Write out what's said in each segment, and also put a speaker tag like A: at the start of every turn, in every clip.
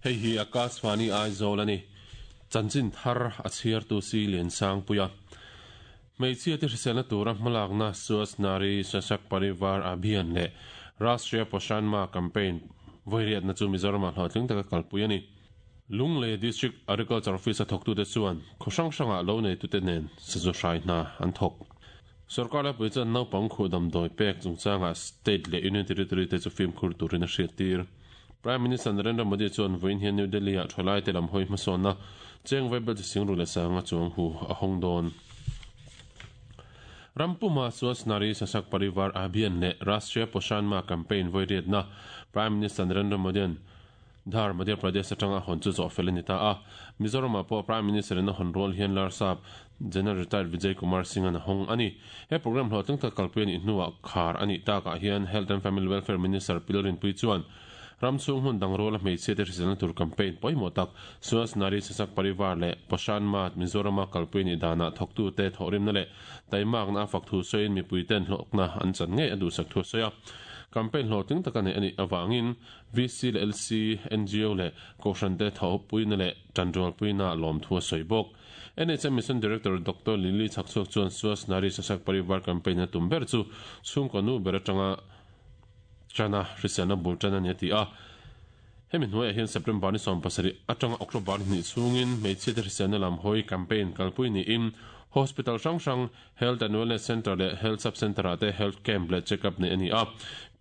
A: Hei hi Akashvani Aizawl a ni. Chanchin thar a chhiartu si Liansangpuia. Hmeichhia te hriselna tura hmalakna Swasth Nari Sashakt Parivar Abhiyan leh Rashtriya Poshan Maah Campaign vawiriatna chu Mizoramah hlawhtling taka kalpui a ni. Lunglei District Agriculture Office a thawktute chuan khaw hrang hrangah lo neitute nen sazu hrai hna an thawk. Sorkar laipui chuan naupang khuh damdawi pek chungchangah State leh Union Territory te chu fimkhur turin a hriattir. Prime Minister Narendra Modi chuan vawiin hian New Delhi-ah thalaite lam hawi hmasawnna cheng vaibel chi singru leh sanga chuang hu a hawng dawn. Ram puma Swachh Nari Sashakt Parivar Abhiyan leh Rashtriya Poshan Maah Campaign vawiriatna Prime Minister Narendra Modi-a'n Dhar, Madhya Pradesh atanga a hawn chu zawh fel a ni ta a. Mizoramah pawh Prime Minister-in a hawn rual hian Larsap General Retired Vijay Kumar Singh-a'n a hawng a ni. He programme hlawhtling tak kalpui a nih hnuah khar a nih takah hian Health and Family Welfare Minister Pil Rinpui chuan ram chhung hmun dang ruala hmeichhia te hriselna tur campaign pawimawh tak Swasth Nari Sashakt Parivar leh Poshan Maah Mizorama kalpui a nih danah thawktute thawhrimna leh taimakna a fak thu sawiin mipuiten hlawkna an chan ngei a duhsak thu a sawi a. Campaign hlawhtling taka neih a nih avangin VC leh LC, ngo leh Kohhran te thawhpuina leh tanrualpuina lawmthu a sawi bawk. NHM Mission Director Doctor Lily Chhakchhuak chuan Swasth Nari Sashakt Parivar Campaign a tum ber chu chhungkaw nu ber atanga tana hriselna bul tan a ni a ti a. Hemi hnuaiah hian September ni 17 atanga October ni hnih chhungin hmeichhiate hriselna lam hawi campaign kalpui niin Hospital hrang hrang Health and Wellness Centre leh Health Sub Centre-ah te Health Camp leh Check-up neih a ni a.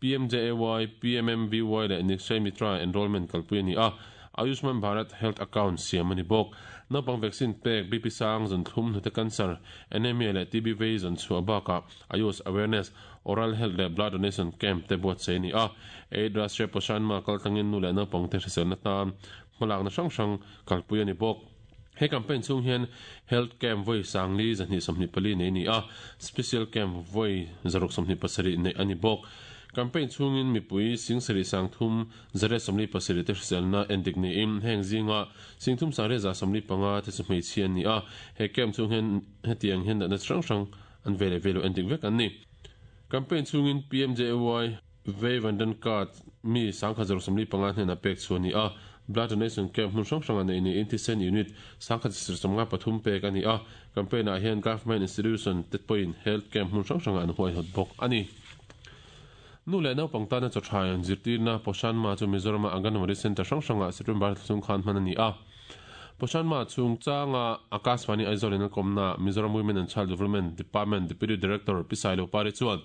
A: PMJAY, PMMVY leh Nikshay Mitra enrollment kalpui a ni a. Ayushman Bharat Health Account siam a ni bawk. Naupang vaccine pek, BP sang, zun thlum, hnute cancer, anemia leh TB vei zawn chhuah bakah Ayush Awareness, Oral Health leh Blood Donation Camp te buatsaih a ni a. Aid Rashtriya Poshan Maah kaltlangin nu leh naupangte hriselna tan hmalakna hrang hrang kalpui a ni bawk. He campaign chhung hian Health Camp vawi sangli 224 nei a ni a, Special Camp vawi 627 neih a ni bawk. Campaign chhungin mipui singsarih sangthum 147 te hriselna endik niin heng zinga singthum sangriat 175 te chu hmeichhia an ni a, he camp chhung hian hetiang hian natna chi hrang hrang an ve leh ve lo endik vek an ni. Campaign chhungin PMJAY Vei Vandan Card mi 1145 hnenah pek chhuah a ni a, Blood Donation Camp hmun hrang hrangah neih niin thisen unit 1153 pek a ni a, campaign ah hian Government Institution te pawhin Health Camp hmun hrang hrangah an huaihawt bawk a ni. Nu leh naupang tana chaw tha in zirtirna Poshan Maah chu Mizorama Anganwadi Centre hrang hrangah September thla chhung khan hman a ni a. Poshan Maah chungchanga Akashvani Aizawl in a kawmna Mizoram Women and Child Development Department Deputy Director Pi Sailo Pari chuan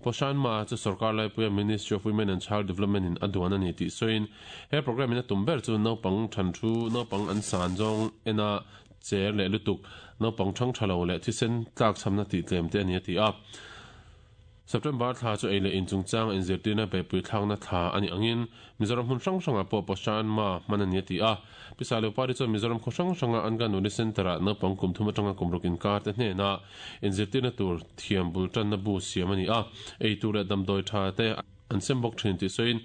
A: Poshan Maah chu sorkar laipuia Ministry of Women and Child Development in a duan a ni tih sawiin he programme in a tum ber chu naupang than thu, naupang an san zawng ena cher leh lutuk, naupang thang tha lo leh thisen tlakchhamna tih tlem te a ni a ti a. September thla chu ei leh in chungchanga inzirtirna beihpui thlakna thla a nih angin Mizoram hmun hrang hrangah pawh Poshan Maah hman a ni a ti a. Pi Sailopari chuan Mizoram khaw hrang hranga Anganwadi Centre-ah naupang kum thum atanga kum ruk inkar te hnenah inzirtirna tur thiam bul tanna bu siam a ni a, ei tur leh damdawi tha te an sem bawk thin tih sawiin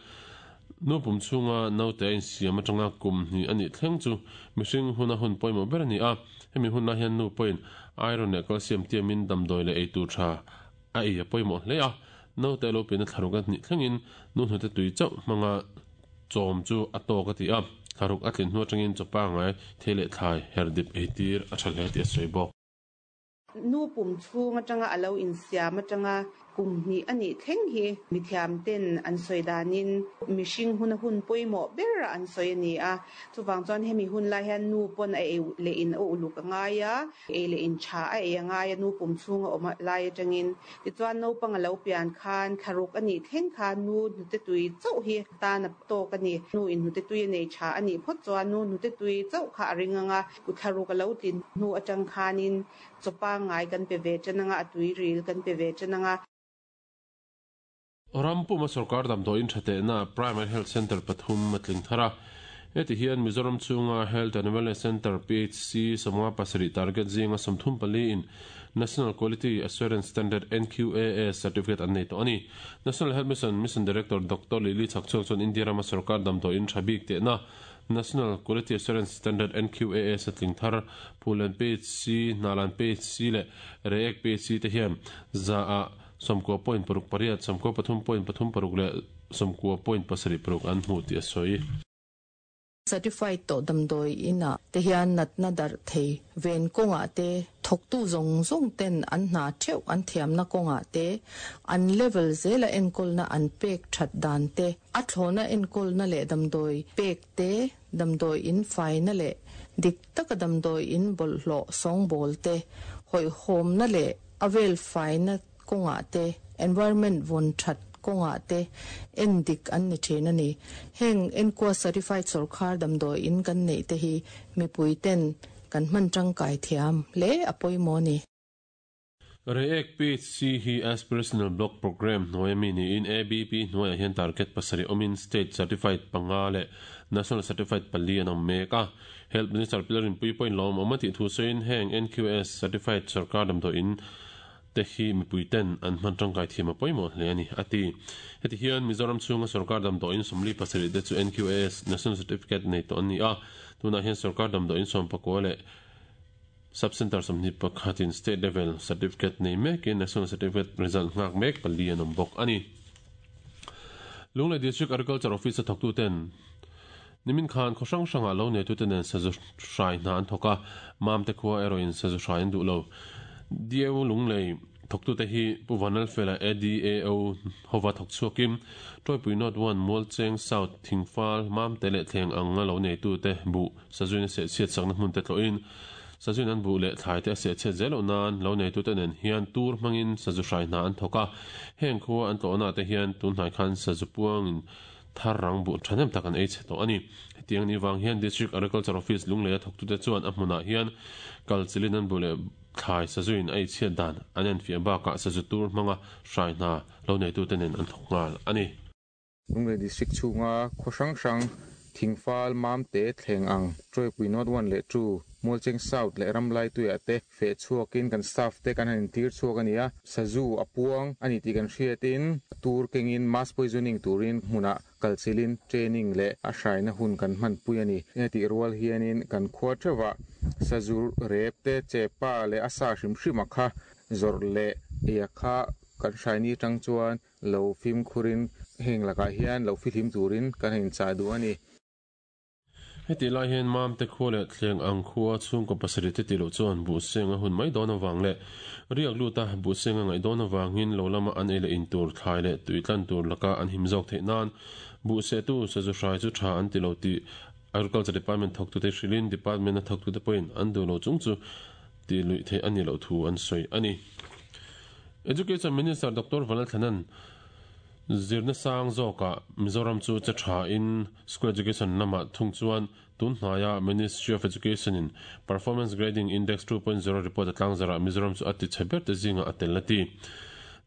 A: nu pum chhunga naute a insiam atanga kum hnih a nih thleng chu mihring huna hun pawimawh ber a ni a, hemi hun lai hian nu pawhin iron leh calcium tiamin damdawi leh ei tur tha a ei a pawimawh hle a, naute a lo pianna thlaruk a hnih thlengin nu hnute tui chauh hmanga chawm chu a tawk a ti a, thlaruk a tlin hnu atangin chaw pangngai thei leh thlai her dip eitir a tha hle tih a sawi bawk.
B: Nu pum chhung atanga a lo insiam atanga kum hnih a nih thleng hi mithiam ten an sawi danin mihring huna hun pawimawh ber a an sawi a ni a. Chuvang chuan hemi hun lai hian nu pawn a ei leh in a uluk a ngai a, ei leh in tha a ei a ngai a nu pum chhung a awm lai atangin. Tichuan naupang a lo pian khan thlaruk a nih thleng khan nu hnute tui chauh hi tan a tawk a ni. Nu in hnute tui a nei tha a nih phawt chuan nu hnute tui chauh kha a ring ang a. Ku thlaruk a lo tlin hnu atang khanin chaw pangngai kan pe ve tan anga, a tuiril kan pe ve tan anga.
A: Ram puma sorkar damdawiin tha tehna Primary Health Centre pathum a tling thar a. Heti hian Mizoram chhunga Health and Wellness Centre, PHC, 57 target zinga 34 in National Quality Assurance Standard, NQAS, certificate an nei tawh a ni. National Health Mission Mission Director Doctor Lily Chhakchhuak chuan India rama sorkar damdawiin tha bik tehna National Quality Assurance Standard, NQAS, a tling thar, Phullen PHC, Hnalan PHC leh Reiek PHC te hian za ah 90.68, 93.36 leh 90.76 an hmu tih a sawi.
C: Certified tawh damdawi inah te hian natna darh thei ven kawngah te, thawktu zawng zawng ten an hna theuh an thiamna kawngah te, an level zela enkawlna an pek that dan te, a thlawhna enkawlna leh damdawi pek te, damdawi in faina leh dik taka damdawi in bawlhhlawh sawngbawl te, hawihhawmna leh a vel faina kawngah te, environment vawn that kawngah te en dik an ni thin a ni. Heng enkua certified sawrkhar damdawi in kan neih te hi mipui ten kan hman tangkai thiam hle a pawimawh a ni.
A: Reiek PHC hi Aspirational Block Programme hnuaia mi niin ABP hnuaiah hian target pasarih awmin State Certified panga leh National Certified pali an awm mek a. Health Minister Pilar Rinpuii pawhin lawmawm a tih thu sawiin heng NQS Certified sawrkar damdawi in te hi mipui ten an hman tangkai thiam a pawimawh hle a ni, a ti. Heti hian Mizoram chhunga sawrkar damdawiin 47 te chu NQAS, National Certificate, nei tawh an ni a, tunah hian sawrkar damdawiin sawmpakua leh Sub Centre 21 in State Level Certificate nei mekin National Certificate result nghak mek pali an awm bawk a ni. Lunglei District Agriculture Office a thawktuten Nimin khan khaw hrang hrangah lo neitute nen sazu hrai hna an thawk a, Mamte khua erawhin sazu hrai an duh lo. DAO Lunglei thawktute hi Pu Vanlalfela ADAO hova thawk chhuakin Tawipui North One, Mualcheng South, Thingfal, Mamte leh Thleng anga lo neitute buh sazuin a sehchhiat sakna hmunte tlawhin sazuin an buh leh thlaite a sehchhiat zel loh nan lo neitute nen hian tur hmangin sazu hrai hna an thawk a. Heng khua an tlawhnaah te hian tunhnai khan sazu puangin Thar rang buh thahnem tak an ei chhe tawh a ni. Hetiang ni vang hian District Agriculture Office Lungleia thawktute chuan a hmunah hian kal chilin an buh leh thlai sazuin a eichhiat dan an enfiah bakah sazu tur hmanga hrai hna lo neitute nen an thawk nghal a ni.
D: Lunglei District chhunga khaw hrang hrang Thingfal, Mamte, Thleng ang, Tawipui North One leh Two, Mualcheng South leh Ramlaituiah te Feh chhuakin kan staff te kan han intir chhuak a ni a, sazu a puang a ni tih kan hriatin tur kengin mass poisoning turin hmunah kalchilhin training leh a hraina hun kan hmanpui a ni. Heti rual hianin kan khua theuhah sazu rep te, chepa leh a sa hrim hrim a kha zawrh leh ei a kha kan hraini atang chuan lo fimkhurin heng lakah hian lo fihlim turin kan han inchah duh a ni.
A: Hetih lai hian Mamte khua leh Thleng ang khua chhungkaw pasarih te tih loh chuan buhseng a hun mai dawn avang leh riak luta buhseng a ngaih dawn avangin lo lama an ei leh in tur thlai leh tui tlan tur laka an him zawk theih nan buhsehtu sazu hrai chu tha an ti lo tih Agriculture Department thawktute hrilhin Department a thawktute pawhin an duh lo chung chu tih luih theih a nih loh thu an sawi a ni. Education Minister Doctor Vanlalthlanan Zirna sang zawkah Mizoram chu che tha in School Education lamah thung chuan tun hnaia Ministry of Education in Performance Grading Index 2.0 report a tlangzarah Mizoram chu a ti chhe ber te zingah a tel a ti.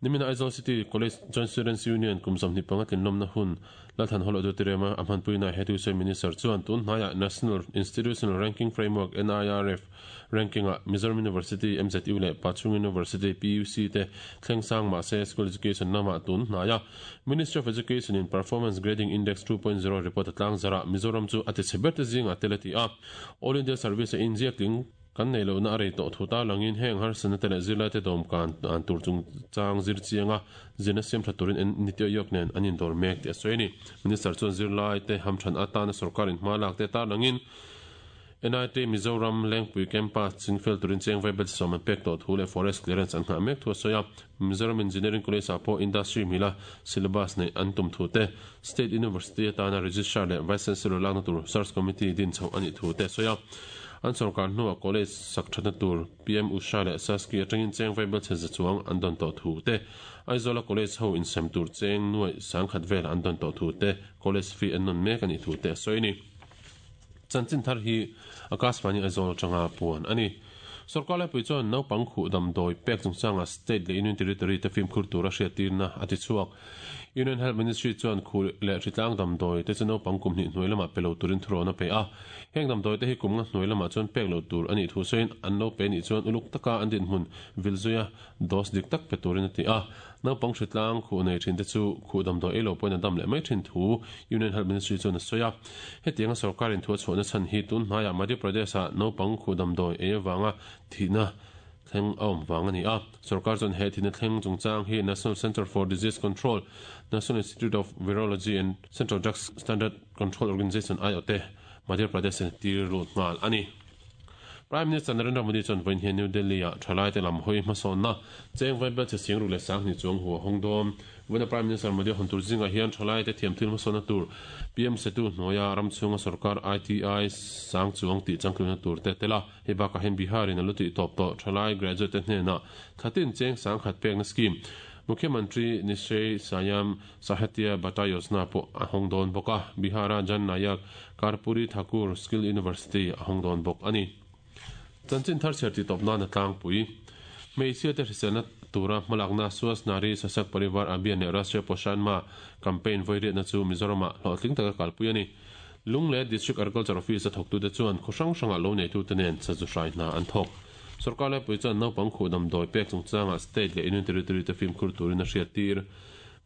A: Nimina Aizawl City College Joint Students Union kum 25 tlinlawmna hun Lalthan Hall Auditorium-a a hmanpuina he Tuesday Minister chuan tun hnaiah National Institutional Ranking Framework, NIRF, Ranking-ah Mizoram University, MZU, leh Pachhung University, PUC, te thleng sang mah se School Education lamah tun hnai a. Ministry of Education in Performance Grading Index 2.0 report a tlang zarah Mizoram chu a ti chhe ber te zingah tel a ti a. All India Service a inziak tling kan nei lohna a rei tawh thu tarlangin heng harsatna te leh zirlaite dawmkan dan tur chungchang zir chianga zirna siam tha turin Niti Aayog nen an indawr mek tih a sawi a ni. Minister chuan zirlaite hamthan atana sorkarin hma lak te tarlangin NIT Mizoram Lengpui Campus chingfel turin cheng vaibel sawm an pek tawh thu leh Forest Clearance an nghah mek thu a sawi a. Mizoram Engineering College ah pawh Industry mila syllabus neih an tum thu te, State University atana Registrar leh Vice Chancellor lakna tur Search Committee din chhoh a nih thu te a sawi a. An sawrkar hnuah College sak thatna tur PM Usha leh Saski atangin cheng vaibel chhe za chuang an dawn tawh thu te, Aizawla College ho insem tur cheng nuaih sangkhat vel an dawn tawh thu te, College fee an nawn mek a nih thu te a sawi a ni. Chanchin thar hi Akashvani Aizawl atanga puan a ni. Sorkar laipui chuan naupang khuh damdawi pek chungchangah state leh union territory te fimkhur tura hriattirna a ti chhuak. Union Health Ministry chuan khuh leh hritlang damdawi te chu naupang kum hnih hnuai lamah pe lo turin thurawn a pe a. Heng damdawi te hi kum nga hnuai lamah chuan pek lo tur a nih thu sawiin an lo pe nih chuan uluk taka an dinhmun vil zuia dose dik tak pe turin a ti a. Naupang hritlang khuh nei thin te chu khuh damdawi ei lo pawhin a dam leh mai thin thu Union Health Ministry chuan a sawi a. Hetianga sorkarin thu a chhuahna chhan hi tun hnaiah Madhya Pradesh-ah naupang khuh damdawi ei avanga thihna thleng a awm vang a ni a. Sorkar chuan he thihna thleng chungchang hi National Centre for Disease Control, National Institute of Virology and Central Drugs Standard Control Organisation aiawh te. Madhya Pradesh in tir lut nghal a ni. Prime Minister Narendra Modi chuan vawiin hian New Delhi-ah thalaite lam hawi hmasawnna cheng vaibel che sing ruk leh sanghnih chuang hu a hawng dawn. Vawiina Prime Minister Modi a hawn tur zingah hian thalaite thiamthil hmasawnna tur PM Setu hnuaia ram chhunga sorkar ITI sang chuang tih changtluna tur te a tel a. Hei bakah hian Bihar in a lu tih tawp tawh thalai graduate te hnenah thlatin cheng sangkhat pekna scheme Mukhyamantri Nishay Sayam Sahitya Bata Yojana pawh a hawng dawn bawk a, Bihar-a Jan Nayak Karpuri Thakur Skill University a hawng dawn bawk a ni. Chanchin thar chhiar tih tawp nan a tlangpui. Hmeichhia te hriselna tura hmalakna Swasth Nari Sashakt Parivar Abhiyan leh Rashtriya Poshan Maah campaign vawiriatna chu Mizoramah hlawhtling taka kalpui a ni. Lungleh District Agriculture Office a thawktute chuan khaw hrang hrangah lo neitute nen sazu hrai hna an thawk. Sorkar laipui chuan naupang khuh damdawi pek chungchangah state leh Union Territory te fimkhur turin a hriattir.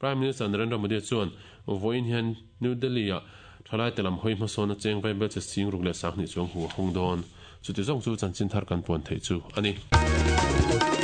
A: Prime Minister Narendra Modi chuan vawiin hian New Delhi-ah thalaite lam hawi hmasawn a cheng vaibel che sing ruk leh sanghnih chuang hu a hawng dawn. Chuti zawng chu chanchin thar kan puan theih chu a ni.